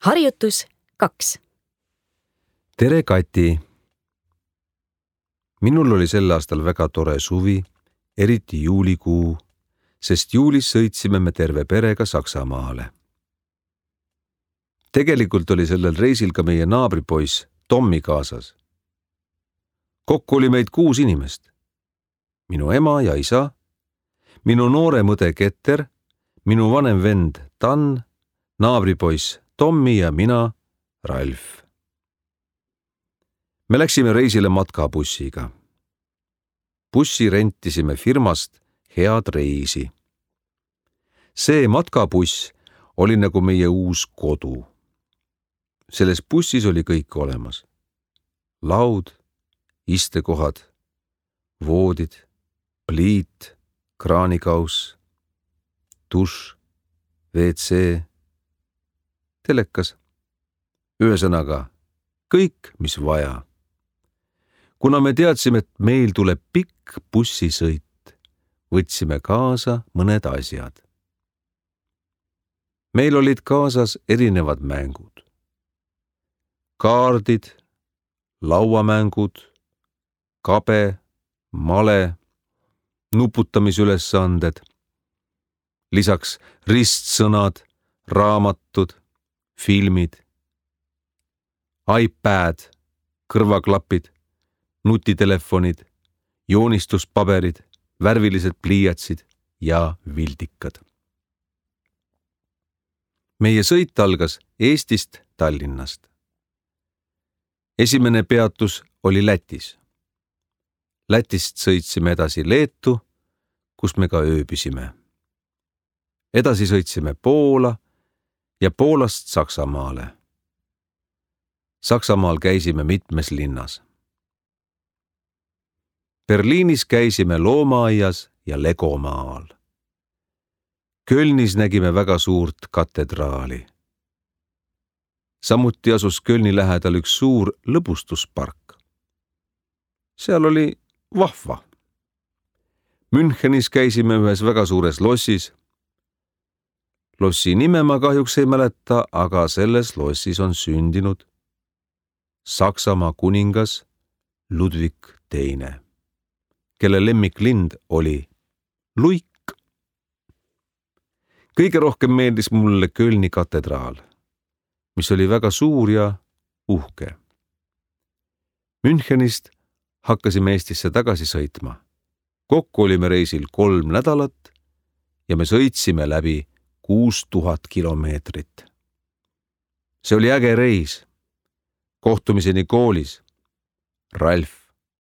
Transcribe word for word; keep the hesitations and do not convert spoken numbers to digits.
Harjutus kaks. Tere, Kati! Minul oli sel aastal väga tore suvi, eriti juulikuu, sest juulis sõitsime me terve perega Saksamaale. Tegelikult oli sellel reisil ka meie naabripoiss Tommi kaasas. Kokku oli meid kuus inimest. Minu ema ja isa, minu noorem õde Keter, minu vanem vend Tan, naabripoiss Tommi ja mina, Ralf. Me läksime reisile matkabussiga. Bussi rentisime firmast Head Reisi. See matkabuss oli nagu meie uus kodu. Selles bussis oli kõik olemas. Laud, istekohad, voodid, pliit, kraanikaus, dušš, V C, telekas. Ühesõnaga, kõik, mis vaja. Kuna me teadsime, et meil tuleb pikk bussisõit, võtsime kaasa mõned asjad. Meil olid kaasas erinevad mängud. Kaardid, lauamängud, kabe, male, nuputamisülesanded, lisaks ristsõnad, raamatud, filmid, iPad, kõrvaklapid, nutitelefonid, joonistuspaberid, värvilised pliiatsid ja vildikad. Meie sõit algas Eestist Tallinnast. Esimene peatus oli Lätis. Lätist sõitsime edasi Leetu, kus me ka ööbisime. Edasi sõitsime Poola ja Poolast Saksamaale. Saksamaal käisime mitmes linnas. Berliinis käisime loomaaias ja Legomaal. Kölnis nägime väga suurt katedraali. Samuti asus Kölni lähedal üks suur lõbustuspark. Seal oli vahva. Münchenis käisime ühes väga suures lossis. Lossi nime ma kahjuks ei mäleta, aga selles lossis on sündinud Saksamaa kuningas Ludwig teine, kelle lemmiklind oli luik. Kõige rohkem meeldis mulle Kölni katedraal, mis oli väga suur ja uhke. Münchenist hakkasime Eestisse tagasi sõitma. Kokku olime reisil kolm nädalat ja me sõitsime läbi kuus tuhat kilomeetrit. See oli äge reis. Kohtumiseni koolis. Ralf.